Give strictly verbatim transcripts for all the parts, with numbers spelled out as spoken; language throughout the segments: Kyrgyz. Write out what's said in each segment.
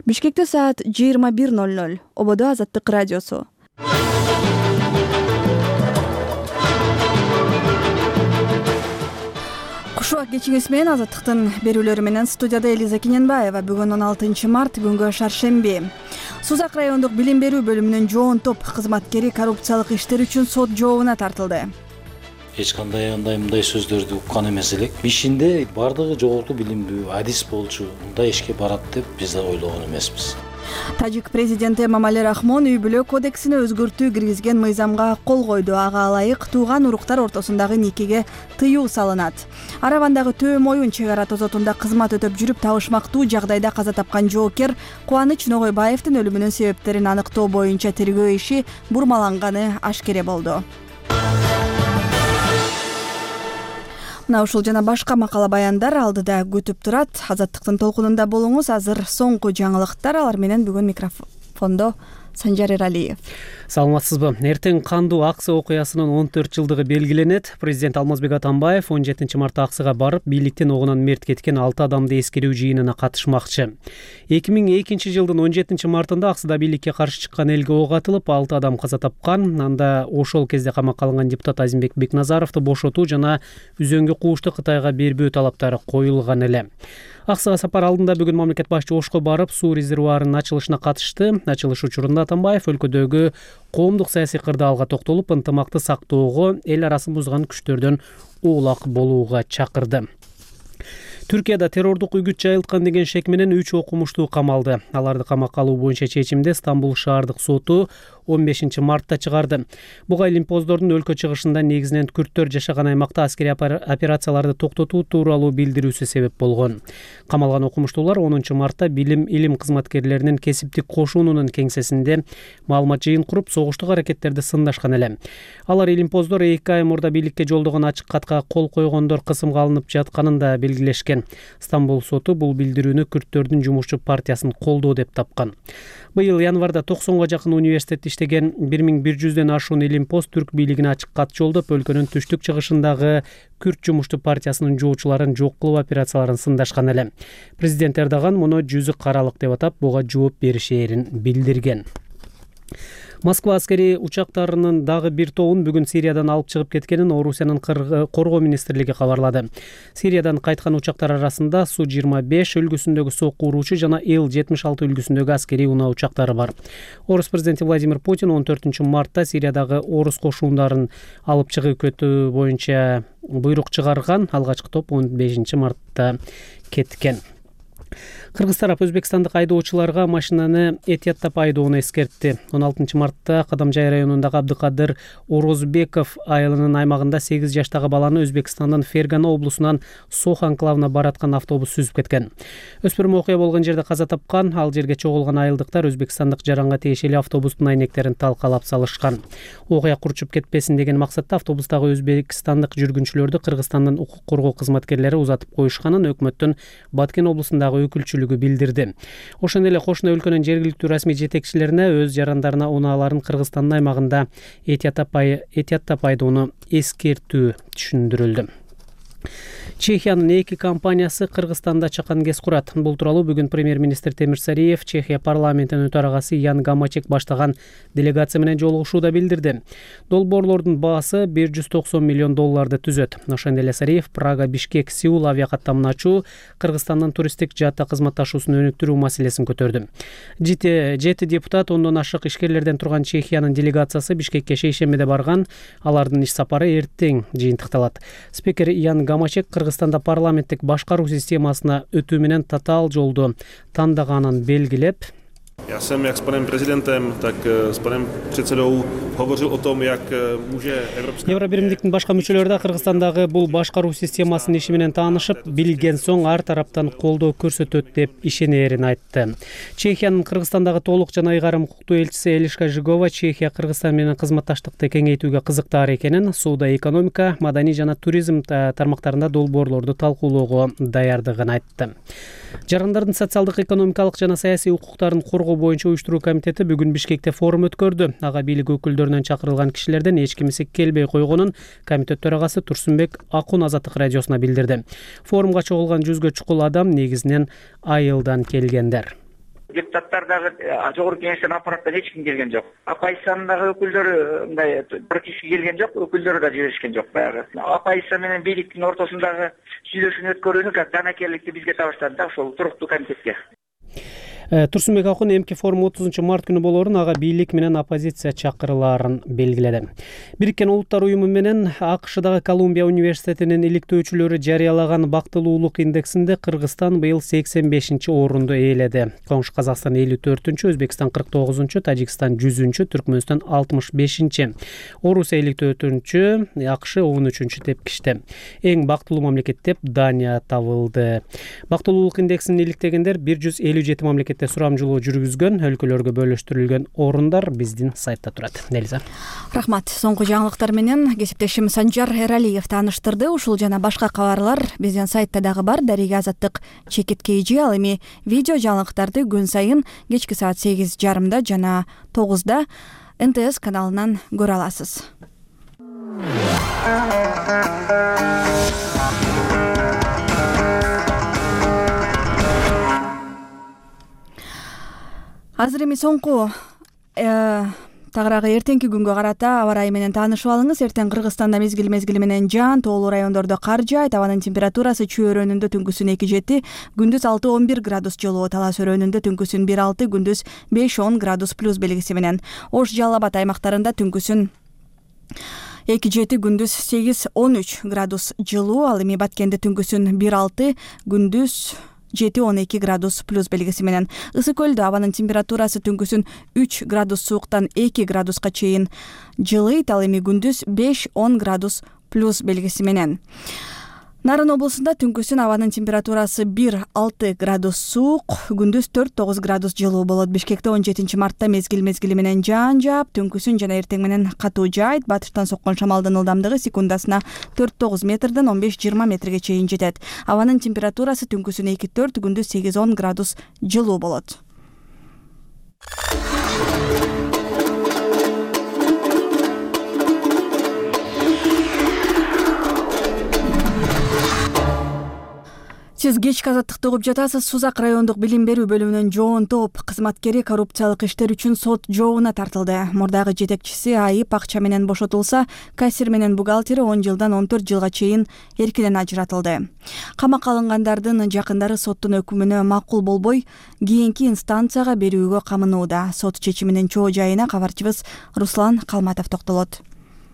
Бишкекте саат жыйырма бир ноль ноль. Ободо Азаттык радиосу. Кушуак кечиңиз менен Азаттыктын берүүлөрү менен студияда Элиза Кененбаева. Бүгүн он алтынчы март, күнгө шаршемби. Сузак райондук билим берүү бөлүмүнүн жоон топ кызматкери коррупциялык иштер үчүн сот жообуна тартылды. Эч кандай андай мындай сөздөрдү уккан эмес элек. Ишинде бардыгы жогорку билимдүү адис болчу, мындай ишке барат деп биз да ойлогон эмеспиз. Тажик президенти Эмомали Рахмон үй-бүлө кодексине өзгөртүү киргизген мыйзамга кол койду. Ага ылайык тууган уруктар ортосундагы никеге тыюу салынат. Аравандагы Төөм Оюн чек ара тозотунда кызмат өтөп жүрүп табышмактуу жагдайда каза тапкан жоокер Кубаныч Ногойбаевдин өлүмүнүн себептерин аныктоо боюнча тергөө иши бурмаланганы ашкере болду. Мына ушул жана башка макала баяндар алдыда күтүп турат. Азаттыктын толкунунда болуңуз. Азыр соңку жаңылыктар, алар менен бүгүн микрофондо Санжар Эралиев. Саламатсызбы? Эртең кандуу аксы окуясынын он төрт жылдыгы белгиленет. Президент Алмазбек Атамбаев он жетинчи мартта аксыга барып, бийликтен огунан мерт кеткен алты адамды эскерүү жыйынына катышмакчы. эки миң экинчи жылдын он жетинчи мартында аксыда бийликке каршы чыккан элге ок атылып, алты адам каза тапкан. Анда ошол кезде камакка алынган депутат Азимбек Бекназаровду бошотуу жана үзөңгү куушту Кытайга бербөө талаптары коюлган эле. Аксыга сапар алдында бүгүн мамлекет башчы Ошко барып, суу резервуарынын ачылышына катышты. Ачылыш учурунда Атамбаев өлкөдөгү коомдук саясий кырдаалга токтолуп, ынтымакты сактоого, эл арасын бузган күчтөрдөн улак болууга чакырды. Түркияда террордук үгүт жайылткан деген шек менен үч окумуштуу камалды. Аларды камакка алуу боюнча чечимди Стамбул шаардык соту он бешинчи мартта чыгарды. Буга илимпоздордун өлкө чыгышында негизинен күрттөр жашаган аймакта аскерий операцияларды токтотуу тууралуу билдирүүсү себеп болгон. Камалган окумуштуулар онунчу мартта билим илим кызматкерлеринин кесиптик кошуунунун кеңсесинде маалымат жыйын куруп, согуштук аракеттерди сындашкан эле. Алар илимпоздор эки ай мурда бийликке жолдогон ачык катка кол койгондор кысымга алынып жатканын да белгилешкен. Стамбул соту бул билдирүүнү күрттөрдүн жумушчу партиясын колдоо деп тапкан. Быйыл январда токсонго жакын университетте иштеген бир миң бир жүздөн ашуун илимпоз түрк бийлигине ачык кат жолдоп, өлкөнүн түштүк чыгышындагы күрт жумушту партиясынын жоочуларын жок кылуу операцияларын сындашкан эле. Президент Эрдоган муну жүзү каралык деп атап, буга жооп беришээрин билдирген. Москва аскери учактарынын дагы бир тобун бүгүн Сириядан алып чыгып кеткенин Орусиянын коргоо министрлиги кабарлады. Сириядан кайткан учактар арасында Су жыйырма беш үлгүсүндөгү сокку уруучу жана Ил жетимиш алты үлгүсүндөгү аскерий унаа учактары бар. Орус президенти Владимир Путин он төртүнчү мартта Сириядагы орус кошуундарын алып чыгып кетүү боюнча буйрук чыгарган. Алгачкы топ он бешинчи мартта кеткен. Кыргыз тарап өзбекстандык айдоочуларга машинаны этияттап айдоону эскертти. он алтынчы мартта Кадамжай районундагы Абдыкадыр Орозбеков айылынын аймагында сегиз жаштагы баланы Өзбекстандын Фергана облусунан Сох анклавына бараткан автобус сүзүп кеткен. Өспүрүм окуя болгон жерде каза тапкан. Ал жерге чогулган айылдыктар өзбекстандык жаранга тиешелүү автобустун айнектерин талкалап салышкан. Окуя курчуп кетпесин деген максатта автобустагы өзбекстандык жүргүнчүлөрдү Кыргызстандын укук коргоо кызматкерлери узатып коюшканын өкмөттүн Баткен облусундагы өкүлчүлүгү билдирди. Ошондой эле кошуна өлкөнүн жергиликтүү расмий жетекчилерине өз жарандарына унааларын Кыргызстандын аймагында этияттап айдоону эскертүү түшүндүрүлдү. Чехиянын эки компаниясы Кыргызстанда чакан кес курат. Бул тууралуу бүгүн премьер-министр Темир Сариев Чехия парламентинин төрагасы Ян Гамачек баштаган делегация менен жолугушууда билдирди. Долбоорлордун баасы бир жүз токсон миллион долларды түзөт. Ошондой эле Сариев Прага, Бишкек, Сеул авиакаттамын ачуу, Кыргызстандын туристтик жаатта кызматташуусун өнүктүрүү маселесин көтөрдү. Жети депутат ондон ашык ишкерлерден турган Чехиянын делегациясы Бишкекке шейшембиде барган. Алардын иш сапары эртең жыйынтыкталат. Спикер Ян Гамачек Кыргызстанда парламенттик башкаруу системасына өтүү менен татаал жолду тандаганын белгилеп, Já jsem jak s panem prezidentem, tak s panem předsedou hovořil o tom, jak může Evropská Евробиримдиктин башка мүчөлөрү да Кыргызстандагы бул башкаруу системасынын иши менен таанышып, билген соң ар тараптан колдоо көрсөтөт деп ишенерин айтты. Чехиянын Кыргызстандагы толук жана ыйгарым укуктуу элчиси Элишка Жигова Чехия Кыргызстан менен кызматташтыкты кеңейтүүгө кызыктар экенин, сууда экономика, маданий жана туризм тармактарында долбоорлорду талкуулоого даярдыгын айтты. Жарандардын социалдык, экономикалык жана саясий укуктарын коргоо боюнча уюштуруу комитети бүгүн Бишкекте форум өткөрдү. Ага бийлик өкүлдөрүнөн чакырылган кишилерден эч кимиси келбей койгонун комитет төрагасы Турсунбек Акун Азаттык радиосуна билдирди. Форумга чогулган жүзгө чукул адам негизинен айылдан келгендер. Депутаттар дагы жогорку кеңештен аппараттан эч ким келген жок. Оппозициянын дагы өкүлдөрү мындай практически келген жок, өкүлдөрү да жиберишкен жок баягы. Оппозиция менен бийликтин ортосундагы сүйлөшүүнү өткөрүүнү как данакерликти бизге табыштады да, ошол туруктуу комитетке. Турсунбек Акун эмки форум отузунчу март күнү болоорун, ага бийлик менен оппозиция чакырылаарын белгиледи. Бириккен Улуттар уюму менен АКШдагы Колумбия университетинин иликтөөчүлөрү жарыялаган бактылуулук индексинде Кыргызстан быйыл сексен бешинчи орунду ээледи. Коңшу Казакстан элүү төртүнчү, Өзбекстан кырк тогузунчу, Тажикстан жүзүнчү, Түркмөнстан алтымыш бешинчи, Орусия элүү төртүнчү, АКШ он үчүнчү тепкичте. Эң бактылуу мамлекет деп Дания табылды. Бактылуулук индексин иликтегендер бир жүз элүү жети мамлекет сурамжылоо жүргүзгөн, өлкөлөргө бөлүштүрүлгөн орундар биздин сайтта турат. Нелиза. Рахмат. Соңку жаңылыктар менен кесиптешим Санжар Эралиев тааныштырды. Ушул жана башка кабарлар биздин сайтта дагы бар. Дарига Азаттык чекит кейжи. Ал эми видео жаңылыктарды күн сайын кечки саат сегиз жарымда жана тогузда эн тэ эс каналынан көрө аласыз. Азыр эми соңку тагыраагы эртеңки күнгө карата аба ырайы менен таанышып алыңыз. Эртең Кыргызстанда мезгил мезгили менен жаан, тоолуу райондордо кар жаайт. Абанын температурасы чөйрөнүндө түнкүсүн эки жети, күндүз алты он бир градус жылуу, талас өрөөнүндө түнкүсүн бир алты, күндүз беш он градус плюс белгиси менен. Ош, Жалал Абад аймактарында түнкүсүн эки жети, күндүз сегиз он үч градус жылуу. Ал эми Баткенде түнкүсүн бир алты, күндүз жети он эки градус плюс белгиси менен. Ысык көлдө абанын температурасы түнкүсүн үч градус сууктан эки градуска чейин жылыйт. Ал эми күндүз беш он градус плюс белгиси менен. Нарын облусунда түнкүсүн абанын температурасы бир алты градус суук, күндүз төрт тогуз градус жылуу болот. Бишкекте он жетинчи мартта мезгил мезгили менен жаан жаап, түнкүсүн жана эртең менен катуу жаайт. Батыштан соккон шамалдын ылдамдыгы секундасына төрт тогуз метрден он беш жыйырма метрге чейин жетет. Абанын температурасы түнкүсүн эки төрт, күндүз сегиз он градус жылуу болот. Сиз кечки азаттыкты угуп жатасыз. Сузак райондук билим берүү бөлүмүнүн жоон топ кызматкери коррупциялык иштер үчүн сот жообуна тартылды. Мурдагы жетекчиси айып акча менен бошотулса, кассир менен бухгалтери он жылдан он төрт жылга чейин эркинен ажыратылды. Камакка алынгандардын жакындары соттун өкүмүнө макул болбой, кийинки инстанцияга берүүгө камынууда. Сот чечиминин чоо жайына кабарчыбыз Руслан Калматов токтолот.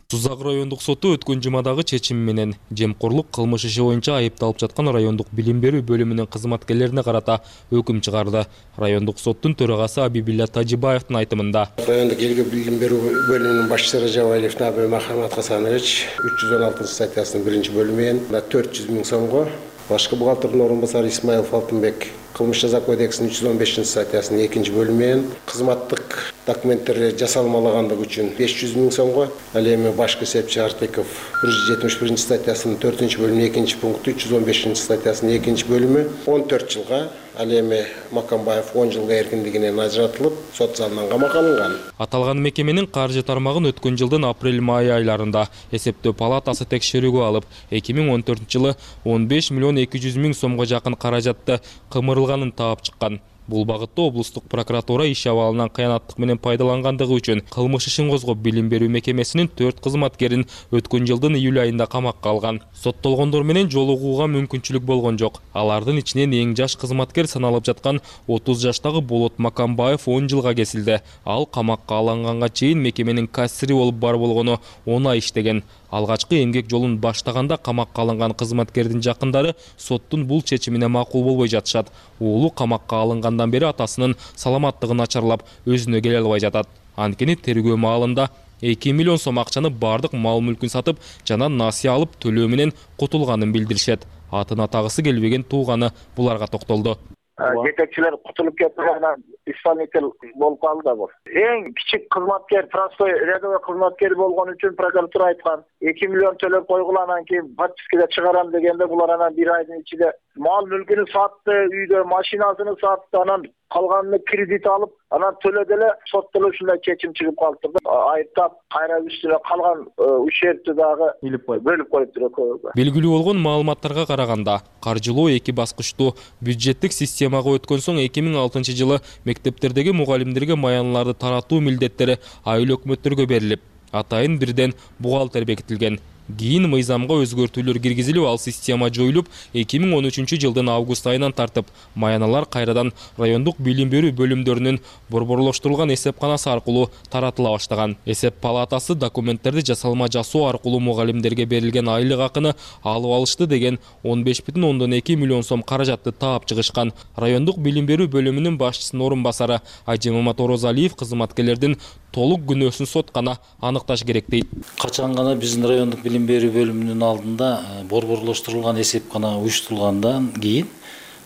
Сузак райондук соту өткөн жумадагы чечими менен жемкорлук кылмыш иши боюнча айыпталып жаткан райондук билим берүү бөлүмүнүн кызматкерлерине карата өкүм чыгарды. Райондук соттун төрагасы Абибилля Тажибаевдин айтымында, райондук элге билим берүү бөлүмүнүн башчысы Ражабаев Набир Махамат Хасанович үч жүз он алтынчы статьясынын биринчи бөлүмүнөн төрт жүз миң сомго, башкы бухгалтердин орун басары Исмаилов Алтынбек кылмыш жаза кодексинин үч жүз он бешинчи статьясынын экинчи бөлүмүнөн кызматтык документтерди жасалмалагандыгы үчүн беш жүз миң сомго, ал эми башкы эсепчи Артеков бир жүз жетимиш биринчи статьясынын төртүнчү бөлүмүнүн экинчи пункту, үч жүз он бешинчи статьясынын экинчи бөлүмү он төрт жылга, ал эми Макамбаев он жылга эркиндигинен ажыратылып, сот залынан камакка алынган. Аталган мекеменин каржы тармагын өткөн жылдын апрель-май айларында эсептөө палатасы текшерүүгө алып, эки миң он төртүнчү жылы он беш миллион эки жүз миң сомго жакын каражатты кымырылганын таап чыккан. Бул багытта облустук прокуратура иш абалынан кыянаттык менен пайдалангандыгы үчүн кылмыш ишин козгоп билим берүү мекемесинин төрт кызматкерин өткөн жылдын июль айында камакка алган. Соттолгондор менен жолугууга мүмкүнчүлүк болгон жок. Алардын ичинен эң жаш кызматкер саналып жаткан отуз жаштагы Болот Макамбаев он жылга кесилди. Ал камакка алынганга чейин мекеменин кассири болуп бар болгону он ай иштеген. Алгачкы эмгек жолун баштаганда камакка алынган кызматкердин жакындары соттун бул чечимине макул болбой жатышат. Уулу камакка алынгандан бери атасынын саламаттыгы начарлап, өзүнө келе албай жатат. Анткени тергөө маалында эки миллион сом акчаны бардык мал-мүлкүн сатып, жана насыя алып төлөө менен кутулганын билдиришет. Атын атагысы келбеген тууганы буларга токтолду. Жетекчилер кутулуп кеткенден исполнитель болуп калды да бул. Эң кичик кызматкер, простой рядовой кызматкер болгон үчүн прокуратура айткан эки миллион төлөп койгула, анан кийин подпискеде чыгарам дегенде булар анан бир айдын ичинде мал мүлкүн сатты, үйдө машинасын сатты, анан калганын кредит алып, анан төлөдө эле сотто эле ушундай чечим чыгып калыптыр да. Айыптап, кайра үстүнө калган ущербти дагы бөлүп коюптур экөөгө. Белгилүү болгон маалыматтарга караганда, каржылоо эки баскычтуу бюджеттик системага өткөн соң эки миң алтынчы жылы мектептердеги мугалимдерге маяныларды таратуу милдеттери айыл өкмөттөргө берилип, атайын бирден бухгалтер бекитилген. Кийин мыйзамга өзгөртүүлөр киргизилип, ал система жоюлуп, эки миң он үчүнчү жылдын август айынан тартып, маяналар кайрадан райондук билим берүү бөлүмдөрүнүн борборлоштурулган эсепканасы аркылуу таратыла баштаган. Эсеп палатасы документтерди жасалма жасоо аркылуу мугалимдерге берилген айлык акыны алып алышты деген он беш бүтүн ондон эки миллион сом каражатты таап чыгышкан. Райондук билим берүү бөлүмүнүн башчысынын орун басары Айжемамат Орозалиев кызматкерлердин толук күнөөсүн сот гана аныкташ керек дейт. Качан гана биздин райондук билим берүү бөлүмүнүн алдында борборлоштурулган эсепкана уюштурулгандан кийин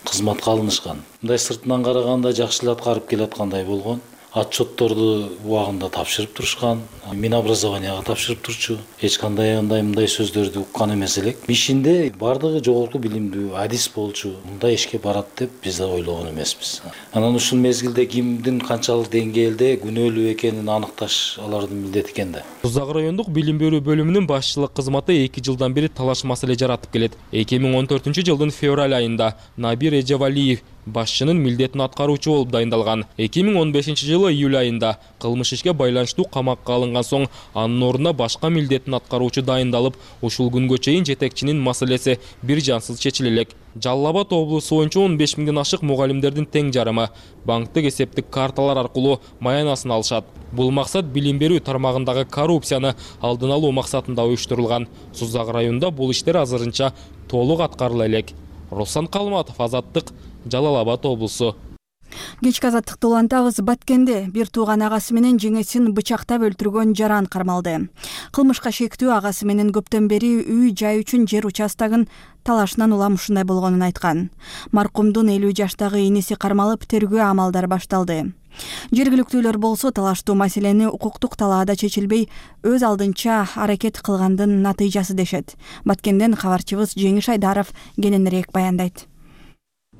кызматка алынышкан. Мындай сыртынан караганда жакшы эле аткарып келаткандай болгон. Отчетторду убагында тапшырып турушкан, Минобразованияга тапшырып турчу. Эч кандай андай мындай сөздөрдү уккан эмес элек. Ишинде бардыгы жогорку билимдүү адис болчу, мындай ишке барат деп биз да ойлогон эмеспиз. Анан ушул мезгилде кимдин канчалык деңгээлде күнөөлүү экенин аныкташ алардын милдети экен да. Тузак райондук билим берүү бөлүмүнүн башчылык кызматы эки жылдан бери талаш маселе жаратып келет. эки миң он төртүнчү жылдын февраль айында Набир Эжевалиев башчынын милдетин аткаруучу болуп дайындалган. эки миң он бешинчи жылы июль айында кылмыш ишке байланыштуу камакка алынган соң анын ордуна башка милдетин аткаруучу дайындалып, ушул күнгө чейин жетекчинин маселеси бир жансыз чечиле элек. Жалал Абад облусу боюнча он беш миңден ашык мугалимдердин тең жарымы банктык эсептик карталар аркылуу маянасын алышат. Бул максат билим берүү тармагындагы коррупцияны алдын алуу максатында уюштурулган. Сузак районунда бул иштер азырынча толук аткарыла элек. Руслан Калматов, Азаттык, Жалал Абад облусу. Кечки азаттыкты улантабыз. Баткенде бир тууган агасы менен жеңесин бычактап өлтүргөн жаран кармалды. Кылмышка шектүү агасы менен көптөн бери үй жай үчүн жер участогун талашынан улам ушундай болгонун айткан. Маркумдун элүү жаштагы иниси кармалып, тергөө амалдары башталды. Жергиликтүүлөр болсо талаштуу маселени укуктук талаада чечилбей, өз алдынча аракет кылгандын натыйжасы дешет. Баткенден кабарчыбыз Жеңиш Айдаров кененирээк баяндайт.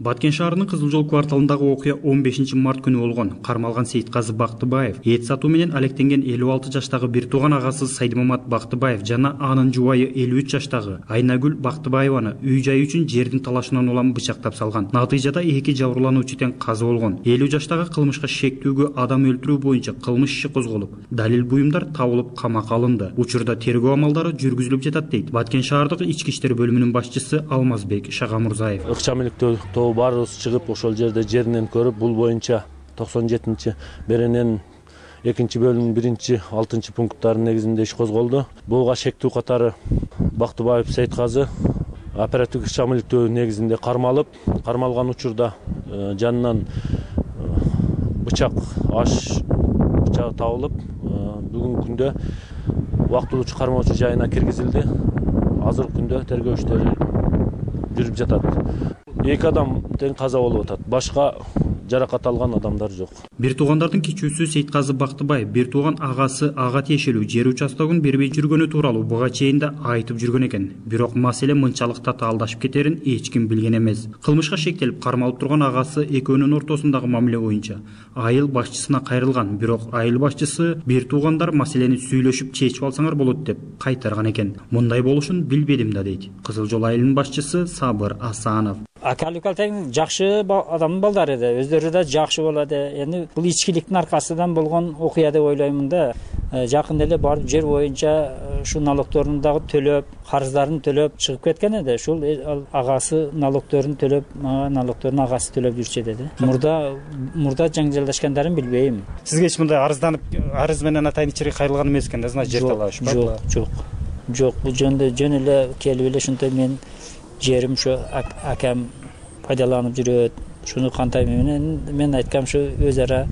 Баткен шаарынын Кызыл жол кварталындагы окуя он бешинчи март күнү болгон. Кармалган Сейитказы Бактыбаев эт сатуу менен алектенген элүү алты жаштагы бир тууган агасы Сайдмамат Бактыбаев жана анын жубайы элүү үч жаштагы Айнагүл Бактыбаеваны үй жай үчүн жердин талашынан улам бычактап салган. Натыйжада эки жабырлануучу тең каза болгон. элүү жаштагы кылмышка шектүүгө адам өлтүрүү боюнча кылмыш иши козголуп, далил буюмдар табылып камакка алынды. Учурда тергөө амалдары жүргүзүлүп жатат дейт Баткен шаардык ички иштер бөлүмүнүн башчысы Алмазбек Шагамурзаев. Ыкчамеликтөө баарыбыз чыгып ошол жерде жеринен көрүп, бул боюнча токсон жетинчи берененин экинчи бөлүмүнүн биринчи алтынчы пункттарынын негизинде иш козголду. Буга шектүү катары Бактыбаев Сейитказы оперативдик ыкчамеликтөө негизинде кармалып, кармалган учурда жанынан бычак аш бычагы табылып, бүгүнкү күндө убактылуучу кармоочу жайына киргизилди. Азыркы күндө тергөө иштери жүрүп жатат. Эки адам тең каза болуп атат. Башка жаракат алган адамдар жок. Бир туугандардын кичүүсү Сейитказы Бактыбаев бир тууган агасы ага тиешелүү жер участогун бербей жүргөнү тууралуу буга чейин да айтып жүргөн экен. Бирок маселе мынчалык татаалдашып кетерин эч ким билген эмес. Кылмышка шектелип кармалып турган агасы экөөнүн ортосундагы мамиле боюнча айыл башчысына кайрылган. Бирок айыл башчысы бир туугандар маселени сүйлөшүп чечип алсаңар болот деп кайтарган экен. Мындай болушун билбедим да дейт Кызыл жол айылынын башчысы Сабыр Асанов. Акалыкал тең жакшы адамдын балдары да, өздөрү да жакшы болот. Эми бул ичкиликтин аркасынан болгон окуя деп ойлоймун да. Жакында эле барып жер боюнча ушу налогторун дагы төлөп, карыздарын төлөп чыгып кеткен эди. Ушул агасы налогторун төлөп, налогторун агасы төлөп жүрчү деди. Мурда мурда жаңжалдашкандарын билбейм. Сизге эч мындай арызданып, арыз менен атайын ичири кайрылган эмес экен да, значит жер талаш бар. Жок, жок. Жок, бул жөнүндө жөн эле келип эле ушундай мен жерим ушу акам пайдаланып жүрөт. Шуну кантайм менен мен айткам ушу өз ара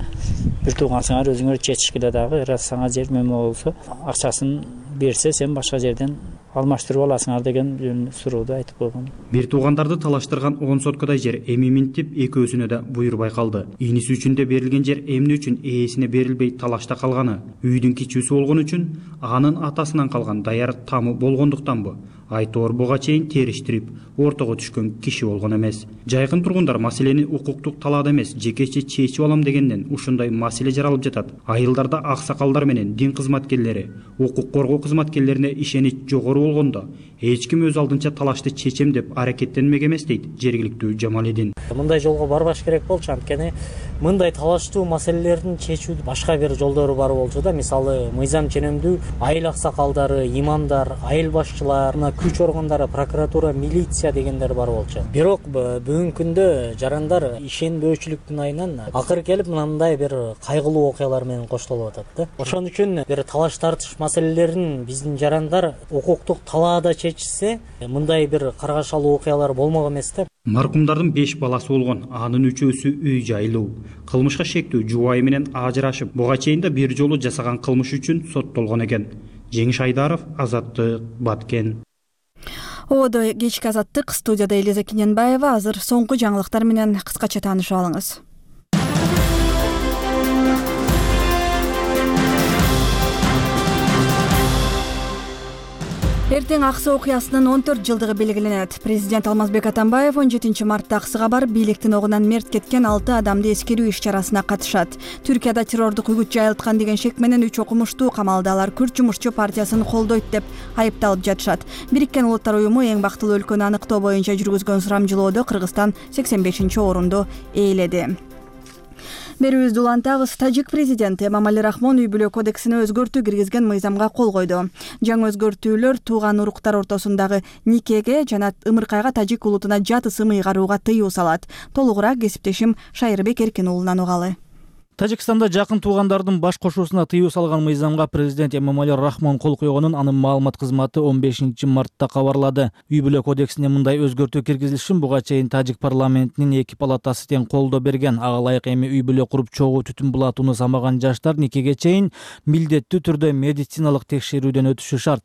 бир туугансыңар өзүңөр чечишкиле дагы, раз сага жер мөмө болсо, акчасын берсе сен башка жерден алмаштырып аласыңар деген сурооду айтып койгон. Бир туугандарды талаштырган он соткадай жер эми минтип экөөсүнө да буйрбай калды. Иниси үчүн да берилген жер эмне үчүн ээсине берилбей талашта калганы, үйдүн кичүүсү болгон үчүн анын атасынан калган даяр тамы болгондуктанбы? Айтор буга чейин териштирип, ортого түшкөн киши болгон эмес. Жайкын тургундар маселени укуктук талаада эмес, жекече чечип алам дегенден ушундай маселе жаралып жатат. Айылдарда аксакалдар менен дин кызматкерлери, укук коргоо кызматкерлерине ишенич жогору болгондо, эч ким өз алдынча талашты чечем деп аракеттенмек эмес дейт жергиликтүү Жамалидин. Мындай жолго барбаш керек болчу, анткени мындай талаштуу маселелердин чечүүдө башка бир жолдору бар болчу да. Мисалы, мыйзам ченемдүү айыл аксакалдары, имамдар, айыл башчылар, күч органдары, прокуратура, милиция дегендер бар болчу. Бирок бүгүнкү күндө жарандар ишенбөөчүлүктүн айынан акыры келип мындай бир кайгылуу окуялар менен коштолуп атат да. Ошон үчүн бир талаш тартыш маселелерин биздин жарандар укуктук талаада чечсе, мындай бир каргашалуу окуялар болмок эмес да. Маркумдардын беш баласы болгон, анын үчөөсү үй жайлуу. Кылмышка шектүү жубайы менен ажырашып, буга чейин да бир жолу жасаган кылмыш үчүн соттолгон экен. Жеңиш Айдаров, Азаттык, Баткен. Ободо кечки Азаттык, студияда Элиза Кененбаева. Азыр соңку жаңылыктар менен кыскача таанышып алыңыз. Эртең Аксы окуясынын он төрт жылдыгы белгиленет. Президент Алмазбек Атамбаев он жетинчи мартта Аксыга барып, бийликтин огунан мерт кеткен алты адамды эскерүү иш-чарасына катышат. Түркияда террордук үгүт жайылткан деген шек менен үч окумуштуу камалды. Алар Күрд жумушчу партиясын колдойт деп айыпталып жатышат. Бириккен Улуттар уюму эң бактылуу өлкөнү аныктоо боюнча жүргүзгөн сурамжылоодо Кыргызстан сексен бешинчи орунду ээледи. Берүүбүздү улантабыз. Тажик президенти Эмомали Рахмон үй бүлө кодексине өзгөртүү киргизген мыйзамга кол койду. Жаңы өзгөртүүлөр тууган уруктар ортосундагы никеге жана ымыркайга тажик улутуна жат ысым ыйгарууга тыюу салат. Толугураак кесиптешим Шайырбек Эркин уулунан угалы. Тажикстанда жакын туугандардын баш кошуусуна тыюу салган мыйзамга президент Эмомали Рахмон кол койгонун анын маалымат кызматы он бешинчи мартта кабарлады. Үй бүлө кодексине мындай өзгөртүү киргизилишин буга чейин тажик парламентинин эки палатасы тең колдоо берген. Ага ылайык эми үй бүлө куруп чогуу түтүн булатууну самаган жаштар никеге чейин милдеттүү түрдө медициналык текшерүүдөн өтүшү шарт.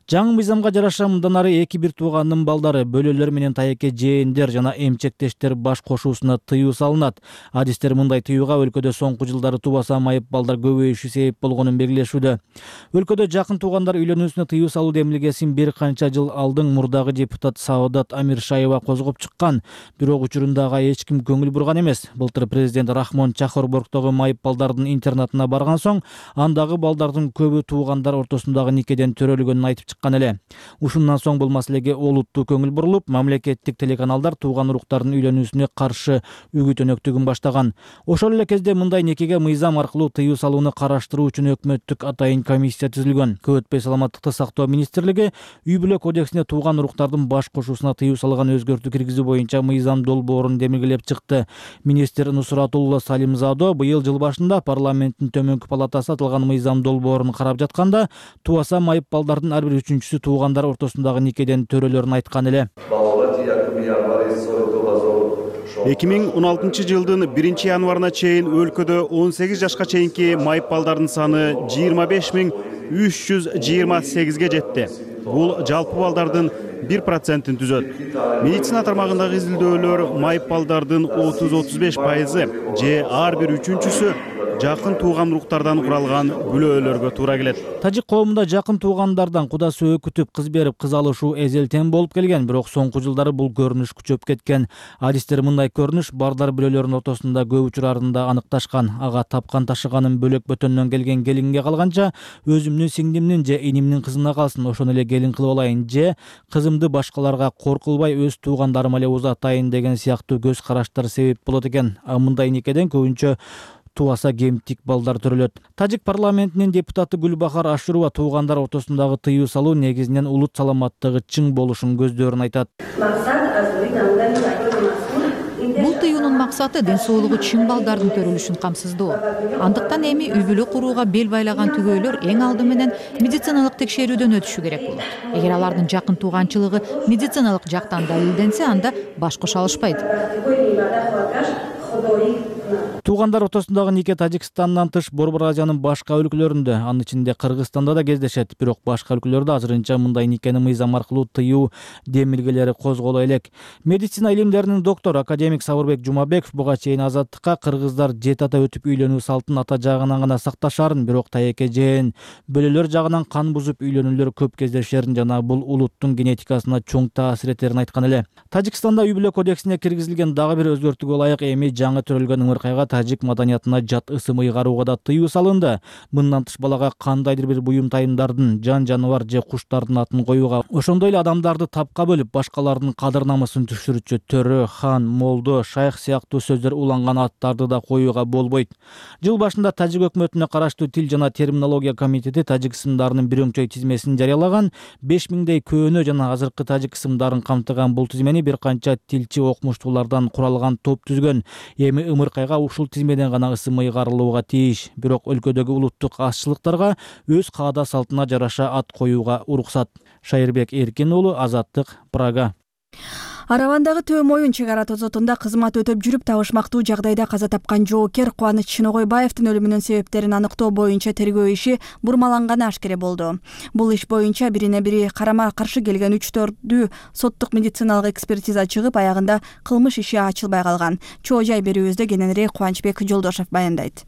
Жаңы мыйзамга жараша мындан ары эки бир туугандын балдары, бөлөлөр менен тайеке жээндер жана эмчектештер баш кошуусуна тыюу салынат. Адистер мындай тыюуга өлкөдө соңку жылдары тубаса майып балдар көбөйүшү себеп болгонун белгилешүүдө. Өлкөдө жакын туугандар үйлөнүүсүнө тыюу салуу демилгесин бир канча жыл алдың мурдагы депутат Саадат Амиршаева козгоп чыккан. Бирок учурундага эч ким көңүл бурган эмес. Былтыр президент Рахмон Чахорборгдогу майып балдардын интернатына барган соң, андагы балдардын көбү туугандар ортосундагы никеден төрөлгөнүн айтып чыккан эле. Ушундан соң бул маселеге олуттуу көңүл бурулуп, мамлекеттик телеканалдар тууган уруктардын үйлөнүүсүнө каршы үгүт өнөктүгүн баштаган. Ошол эле кезде мындай никеге мыйзам аркылуу тыюу салууну караштыруу үчүн өкмөттүк атайын комиссия түзүлгөн. Көп өтпөй саламаттыкты сактоо министрлиги үй бүлө кодексине тууган уруктардын баш кошуусуна тыюу салган өзгөртүү киргизүү боюнча мыйзам долбоорун демилгелеп чыкты. Министр Нусратулла Салимзадо быйыл жыл башында парламенттин төмөнкү палатасы аталган мыйзам долбоорун карап жатканда, тубаса майып балдардын ар бир үчүнчүсү туугандар ортосундагы никеден төрөлөрүн айткан эле. эки миң он алтынчы жылдын биринчи январына чейин өлкөдө он сегиз жашка чейинки майып балдардын саны жыйырма беш миң үч жүз жыйырма сегизге жетти. Бул жалпы балдардын бир процентин түзөт. Медицина тармагындагы изилдөөлөр майып балдардын отуз отуз беш пайызы же ар бир үчүнчүсү жакын тууган уруктардан куралган бүлөлөргө туура келет. Тажик коомунда жакын туугандардан куда сөөк күтүп кыз берип кыз алышуу эзелтен болуп келген, бирок соңку жылдары бул көрүнүш күчөп кеткен. Адистер мындай көрүнүш бардар бүлөлөрүнүн ортосунда көп учурларында аныкташкан. Ага тапкан ташыганын бөлөк бөтөндөн келген келинге калганча, өзүмдүн сиңдимдин же инимдин кызына калсын, ошону эле келин кылып алайын, же кызымды башкаларга кор кылбай өз туугандарыма эле узатайын деген сыяктуу көз караштар себеп болот экен. А мындай никеден көбүнчө тубаса кемтик балдар төрөлөт. Тажик парламентинин депутаты Гүлбахар Ашурова туугандар ортосундагы тыюу салуу негизинен улут саламаттыгы чың болушун көздөрүн айтат. Бул тыюунун максаты ден соолугу чың балдардын төрөлүшүн камсыздоо. Андыктан эми үй бүлө курууга бел байлаган түгөйлөр эң алды менен медициналык текшерүүдөн өтүшү керек болот. Эгер алардын жакын тууганчылыгы медициналык жактан далилденсе, анда баш кошо алышпайт. Туугандар ортосундагы нике Тажикстандан тыш Борбор Азиянын башка өлкөлөрүндө, анын ичинде Кыргызстанда да кездешет. Бирок башка өлкөлөрдө азырынча мындай никени мыйзам аркылуу тыюу демилгелери козголо элек. Медицина илимдеринин доктору академик Сабырбек Жумабеков буга чейин Азаттыкка кыргыздар жети ата өтүп үйлөнүү салтын ата жагынан гана сакташарын, бирок тайеке жээн бөлөлөр жагынан кан бузуп үйлөнүүлөр көп кездешерин жана бул улуттун генетикасына чоң таасир этерин айткан эле. Тажикстанда үй бүлө кодексине киргизилген дагы бир өзгөртүүгө ылайык эми жаңы төрөлгөн ымыркайга тажик маданиятына жат ысым ыйгарууга да тыюу салынды. Мындан тыш балага кандайдыр бир буюм тайымдардын, жан жаныбар же куштардын атын коюуга, ошондой эле адамдарды тапка бөлүп, башкалардын кадыр намысын түшүрүчү төрө, хан, молдо, шайх сыяктуу сөздөр уланган аттарды да коюуга болбойт. Жыл башында Тажик өкмөтүнө караштуу Тил жана терминология комитети тажик ысымдарынын бир өңчөй тизмесин жарыялаган. беш миңдей көөнө жана азыркы тажик ысымдарын камтыган бул тизмени бир канча тилчи окумуштуулардан куралган топ түзгөн. Эми ымыркайга ушул тизмеден гана ысым ыйгарылууга тийиш, бирок өлкөдөгү улуттук азчылыктарга өз каада салтына жараша ат коюуга уруксат. Шайырбек Эркин уулу, Азаттык, Прага. Аравандагы Төө Моюн чек ара тозотунда кызмат өтөп жүрүп табышмактуу жагдайда каза тапкан жоокер Кубаныч Шыногойбаевдин өлүмүнүн себептерин аныктоо боюнча тергөө иши бурмаланганы ашкере болду. Бул иш боюнча бирине бири карама каршы келген үч төрдүү соттук медициналык экспертиза чыгып, аягында кылмыш иши ачылбай калган. Чоо жай берүүбүздө кененирээк Кубанычбек Жолдошев баяндайт.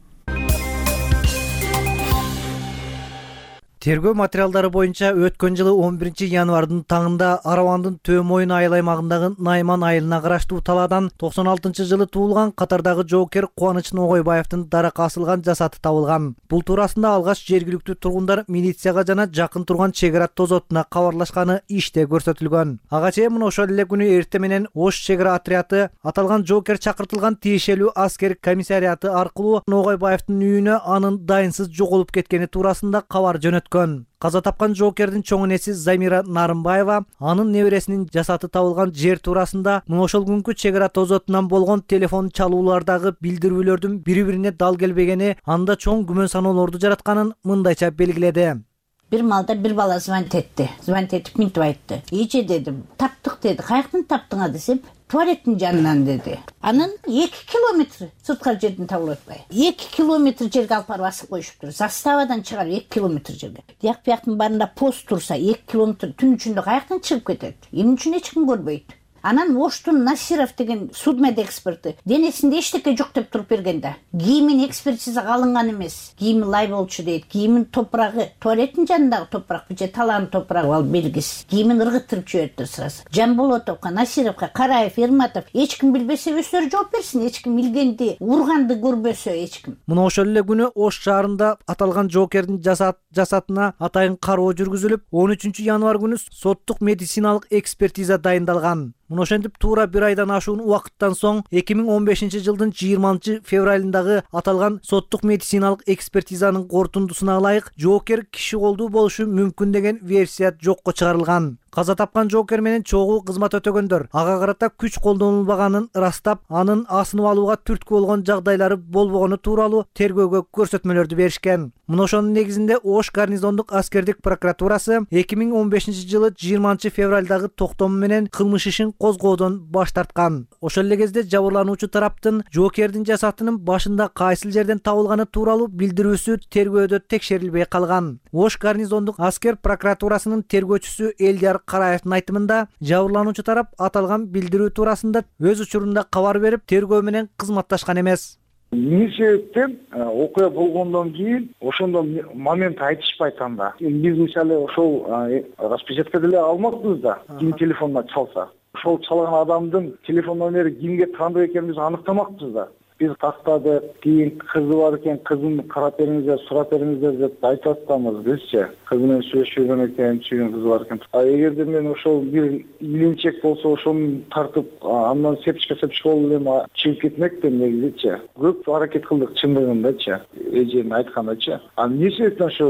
Тергөө материалдары боюнча өткөн жылы он биринчи январдын таңында Аравандын Төө Моюн айыл аймагындагы Найман айылына караштуу талаадан токсон алтынчы жылы туулган катардагы жоокер Кубаныч Ногойбаевдин даракка асылган жасаты табылган. Бул туурасында алгач жергиликтүү тургундар милицияга жана жакын турган чек ара тозотуна кабарлашканы иште көрсөтүлгөн. Ага чейин мына ошол эле күнү эрте менен Ош чек ара отряды аталган жоокер чакыртылган тиешелүү аскер комиссариаты аркылуу Ногойбаевдин үйүнө анын дайынсыз жоголуп кеткени туурасында кабар жөнөткөн. Каза тапкан жоокердин чоң энеси Замира Нарымбаева анын небересинин жасаты табылган жер туурасында мына ошол күнкү чек ара тозотунан болгон телефон чалуулардагы билдирүүлөрдүн бири-бирине дал келбегени анда чоң күмөн саноолорду жаратканын мындайча белгиледи. Бир малда бир бала звонить этти. Звонить этип минтип айтты. Эже дедим, таптык деди. Каяктан таптыңар десем, туалеттин жанынан деди. Анын эки километр сырткы жерден табылып атпайбы. эки километр жерге алып барып асып коюшуптур. Заставадан чыгарып эки километр жерге. Тияк бияктын баарында пост турса эки километр түн ичинде каяктан чыгып кетет? Эмне үчүн эч ким көрбөйт? Анан Оштун Насиров деген судмед эксперти денесинде эчтеке жок деп туруп берген да. Кийимин экспертизага алынган эмес. Кийими лай болчу дейт. Кийимин топурагы, туалеттин жанындагы топурак же талаанын топурагы ал белгисиз. Кийимин ыргыттырып жибериптир сразу. Жамболотовго, Насировго, Караев, Эрматов эч ким билбесе өздөрү жооп берсин. Эч ким билгенди, урганды көрбөсө эч ким. Мына ошол эле күнү Ош шаарында аталган жоокердин жасат жасатына атайын кароо жүргүзүлүп, он үчүнчү январь күнү соттук медициналык экспертиза дайындалган. Мына ошентип туура бир айдан ашуун убакыттан соң эки миң он бешинчи жылдын жыйырманчы февралындагы аталган соттук медициналык экспертизанын корутундусуна ылайык жоокер киши колдуу болушу мүмкүн деген версия жокко чыгарылган. Каза тапкан жоокер менен чогуу кызмат өтөгөндөр ага карата күч колдонулбаганын ырастап, анын асынып алууга түрткү болгон жагдайлары болбогону тууралуу тергөөгө көрсөтмөлөрдү беришкен. Мына ошонун негизинде Ош гарнизондук аскердик прокуратурасы эки миң он бешинчи жылы жыйырманчы февралдагы токтому менен кылмыш ишин козгоодон баш тарткан. Ошол эле кезде жабырлануучу тараптын жоокердин жасатынын башында кайсыл жерден табылганы тууралуу билдирүүсү тергөөдө текшерилбей калган. Ош гарнизондук аскер прокуратурасынын тергөөчүсү Элдияр Караевдин айтымында жабырлануучу тарап аталган билдирүү туурасында өз учурунда кабар берип, тергөө менен кызматташкан эмес. Эмне себептен окуя болгондон кийин ошондо момент айтышпайт анда. Биз мисалы ошол распечатка деле алмакпыз да, ким телефонуна чалса. Ошол чалган адамдын телефон номери кимге таандык экенин биз аныктамакпыз да. Биз тактадык, кийин кызы бар экен, кызын карап бериңиздер, сурап бериңиздер деп айтып атканбыз бизчи. Кызы менен сүйлөшүп жүргөн экен, чүйгөн кызы бар экен. А эгерде мен ошол бир илинчек болсо ошону тартып, андан сепчика сепчика болуп эле чыгып кетмекпин негизичи. Көп аракет кылдык чындыгындачы, эженин айткандачы. А эмне себептен ошо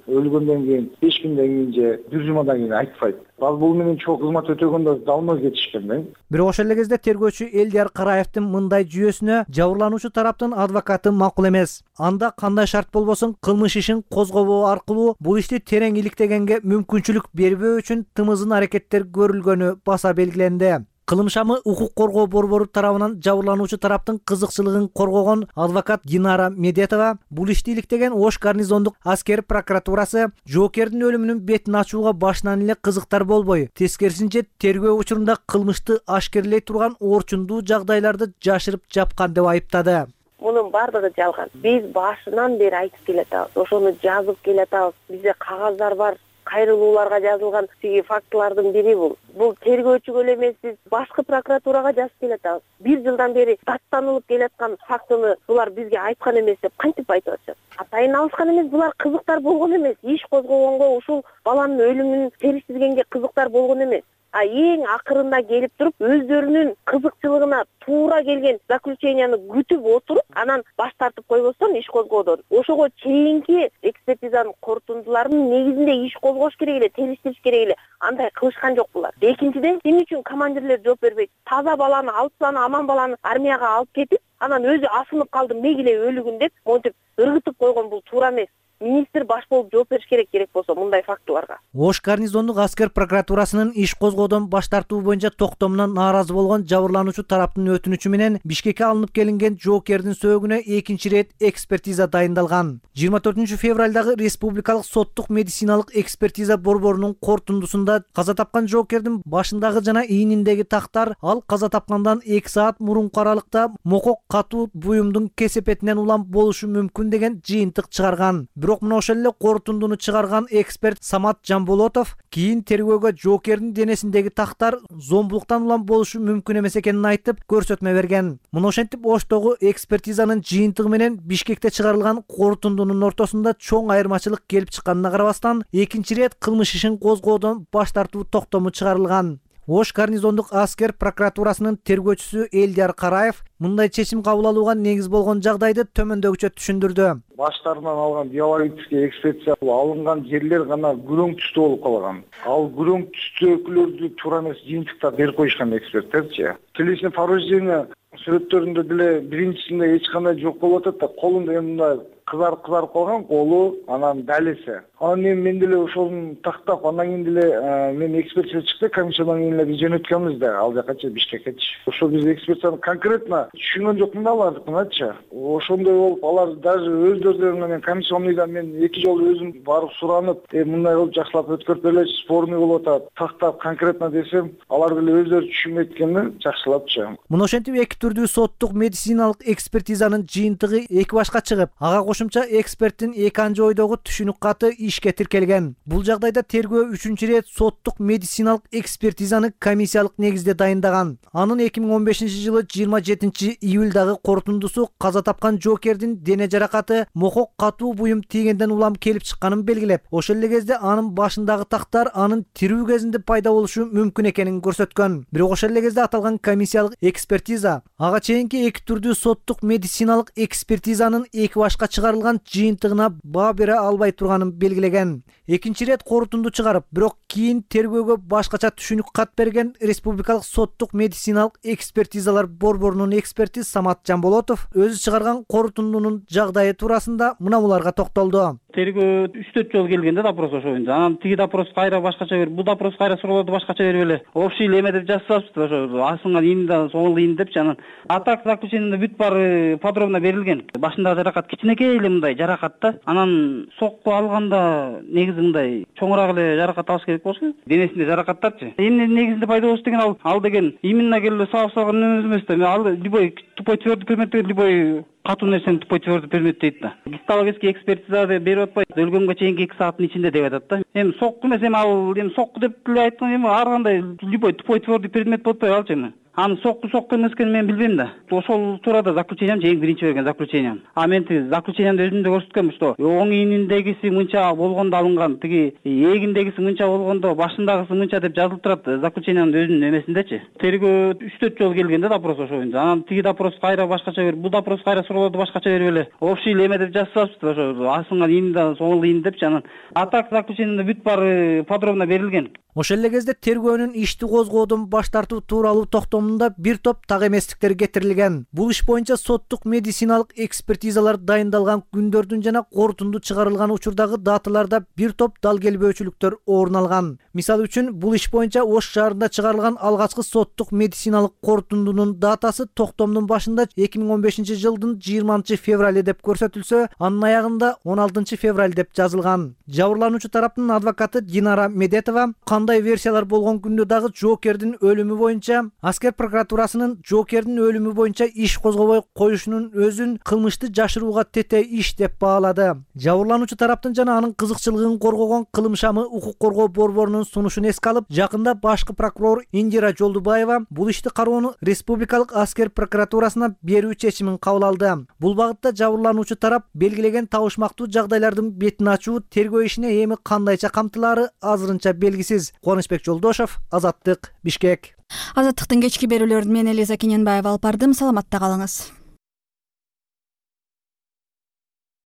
өлгөндөн кийин беш күндөн кийин же бир жумадан кийин айтпайт? Ал бул менен чоң кызмат өтөгөндөр далмай кетишкен да. Бирок ошол эле кезде тергөөчү Элдияр Караевдин мындай жүйөсүнө жабырлануучу тараптын адвокаты макул эмес. Анда кандай шарт болбосун кылмыш ишин козгобоо аркылуу бул ишти терең иликтегенге мүмкүнчүлүк бербөө үчүн тымызын аракеттер көрүлгөнү баса белгиленди. Кылым шамы укук коргоо борбору тарабынан жабырлануучу тараптын кызыкчылыгын коргогон адвокат Динара Медетова бул ишти иликтеген Ош гарнизондук аскер прокуратурасы жоокердин өлүмүнүн бетин ачууга башынан эле кызыктар болбой, тескерисинче тергөө учурунда кылмышты ашкерлей турган орчундуу жагдайларды жашырып жапкан деп айыптады. Мунун бардыгы жалган. Биз башынан бери айтып келатабыз, ошону жазып келатабыз. Бизде кагаздар бар. Кайрылууларга жазылган тиги фактылардын бири бул. Бул тергөөчүгө эле эмес, биз башкы прокуратурага жазып келатабыз. Бир жылдан бери даттанылып келаткан фактыны булар бизге айткан эмес деп кантип айтып атышат? Атайын алышкан эмес, булар кызыктар болгон эмес. Иш козгогонго, ушул баланын өлүмүн териштиргенге кызыктар болгон эмес. А эң акырында келип туруп өздөрүнүн кызыкчылыгына туура келген заключенияны күтүп отуруп, анан баш тартып койбостон иш козгоодон ошого чейинки экспертизанын корутундуларынын негизинде иш козгош керек эле, териштириш керек эле. Андай кылышкан жок булар. Экинчиден, эмне үчүн командирлер жооп бербейт? Таза баланы, алпсаны, аман баланы армияга алып кетип, анан өзү асынып калды, мегиле өлүгүн деп монтип ыргытып койгон бул туура эмес. Министр баш болуп жооп бериш керек керек болсо мындай фактыларга. Ош гарнизондук аскер прокуратурасынын иш козгоодон баш тартуу боюнча токтомуна нааразы болгон жабырлануучу тараптын өтүнүчү менен Бишкекке алынып келинген жоокердин сөөгүнө экинчи ирет экспертиза дайындалган. жыйырма төртүнчү февралдагы Республикалык соттук медициналык экспертиза борборунун корутундусунда каза тапкан жоокердин башындагы жана ийниндеги тактар ал каза тапкандан эки саат мурунку аралыкта мокок катуу буюмдун кесепетинен улам болушу мүмкүн деген жыйынтык чыгарган. Бирок мына ошол эле корутундуну чыгарган эксперт Самат Жамболотов кийин тергөөгө жоокердин денесиндеги тактар зомбулуктан улам болушу мүмкүн эмес экенин айтып көрсөтмө берген. Мына ошентип Оштогу экспертизанын жыйынтыгы менен Бишкекте чыгарылган корутундунун ортосунда чоң айырмачылык келип чыкканына карабастан экинчи ирет кылмыш ишин козгоодон баш тартуу токтому чыгарылган. Ош гарнизондук аскер прокуратурасынын тергөөчүсү Элдияр Караев мындай чечим кабыл алууга негиз болгон жагдайды төмөндөгүчө түшүндүрдү. Баштарынан алган биологический экспертиза алынган жерлер гана күрөң түстүү болуп калган. Ал күрөң түстүүкүлөрдү туура эмес жыйынтыктар берип коюшкан эксперттерчи. Телесный повреждение сүрөттөрүндө деле биринчисинде эч кандай жок болуп атат да, колунда эмне кызарып кызарып калган колу, анан далеси. Анан эми мен деле ошону тактап, андан кийин деле мен экспертиза чыкты, комиссиядан кийин эле биз жөнөткөнбүз да, ал жаккачы Бишкеккечи. Ошо биз экспертизаны конкретно түшүнгөн жокмун да алардыкыначы. Ошондой болуп, алар даже өздөрүнөн мен комиссионныйдан мен эки жолу өзүм барып суранып, э мындай кылып жакшылап өткөрүп бергилечи, спорный болуп атат. Тактап конкретно десем, алар деле өздөрү түшүнбөйт экенин жакшылапчы. Мына ошентип эки түрдүү соттук медициналык экспертизанын жыйынтыгы эки башка чыгып, ага кошумча эксперттин эки анчы ойдогу түшүнүк каты ишке тиркелген. Бул жагдайда тергөө үчүнчү ирет соттук медициналык экспертизаны комиссиялык негизде дайындаган. Анын эки миң он бешинчи жылы жыйырма жетинчи июлдагы корутундусу каза тапкан жоокердин дене жаракаты мокок катуу буюм тийгенден улам келип чыкканын белгилеп, ошол эле кезде анын башындагы тактар анын тирүү кезинде пайда болушу мүмкүн экенин көрсөткөн. Бирок ошол эле кезде аталган комиссиялык экспертиза ага чейинки эки түрдүү соттук медициналык экспертизанын эки башка чыгарылган жыйынтыгына баа бере албай турганын белгилеген. Экинчи ирет корутунду чыгарып, бирок кийин тергөөгө башкача түшүнүк кат берген Республикалык соттук медициналык экспертизалар борборунун эксперти Самат Жамболотов өзү чыгарган корутундунун жагдайы туурасында мына буларга токтолду. Тергөө үч төрт жолу келгенде допрос ошоюнда. Анан тиги допрос кайра башкача берип, бул допрос кайра суроолорду башкача берип эле общий эле эме деп жазып салыпты, ошо асынган ийниnden соңул ийин депчи. Анан а так заключениеде бүт баары подробно берилген. Башындагы жаракат кичинекей эле мындай жаракат да. Анан сокку алганда негизи мындай чоңураак эле жаракат алыш керек болчу. Денесинде жаракаттарчы. Эмне негизинде пайда болуш деген ал ал деген именно келе сабап салган эмес да. Ал любой тупой твердый предмет деген любой катуу нерсени тупой твердый предмет дейт да. Гистологический экспертиза деп берип атпайбы, өлгөнгө чейинки эки сааттын ичинде деп атат да. Эми сокку эмес, эми ал эми сокку деп эле айткан, эми ар кандай любой тупой твердый предмет болуп атпайбы алчы эми. Аны сокку сокку эмес экенин мен билбейм да. Ошол туурада заключением эң биринчи берген заключением. А мен тиги заключениемде өзүмдө көрсөткөм, что оң ийниндегиси мынча болгондо алынган, тиги эгиндегиси мынча болгондо башындагысы мынча деп жазылып турат заключениянын өзүнүн эмесиндечи. Тергөө үч төрт жолу келгенде допрос ошоюнда. Анан тиги допрос кайра башкача берип, бул допрос кайра суроолорду башкача берип эле общий эле эме деп жазып салыпты, ошо асынган ийниnden соңул ийин депчи. Анан а так заключениеде бүт баары подробно берилген. Ошол эле кезде тергөөнүн ишти козгоодон баш тартуу тууралуу токтомунда бир топ так эместиктер кетирилген. Бул иш боюнча соттук медициналык экспертизалар дайындалган күндөрдүн жана корутунду чыгарылган учурдагы даталарда бир топ дал келбөөчүлүктөр орун алган. Мисалы үчүн, бул иш боюнча Ош шаарында чыгарылган алгачкы соттук медициналык корутундунун датасы токтомдун башында эки миң он бешинчи жылдын жыйырманчы февраль деп көрсөтүлсө, анын аягында он алтынчы февраль деп жазылган. Жабырлануучу тараптын адвокаты Динара Медетова кандай версиялар болгон күндө дагы жоокердин өлүмү боюнча аскер прокуратурасынын жоокердин өлүмү боюнча иш козгобой коюшунун өзүн кылмышты жашырууга тете иш деп баалады. Жабырлануучу тараптын жана анын кызыкчылыгын коргогон Кылым шамы укук коргоо борборунун сунушун эске алып, жакында башкы прокурор Индира Жолдубаева бул ишти кароону республикалык аскер прокуратурасына берүү чечимин кабыл алды. Бул багытта жабырлануучу тарап белгилеген табышмактуу жагдайлардын бетин ачуу тергөө ишине эми кандайча камтылаары азырынча белгисиз. Кубанычбек Жолдошов, Азаттык, Бишкек. Азаттыктын кечки берүүлөрүн мен Элиза Кененбаева алып бардым. Саламатта калыңыз.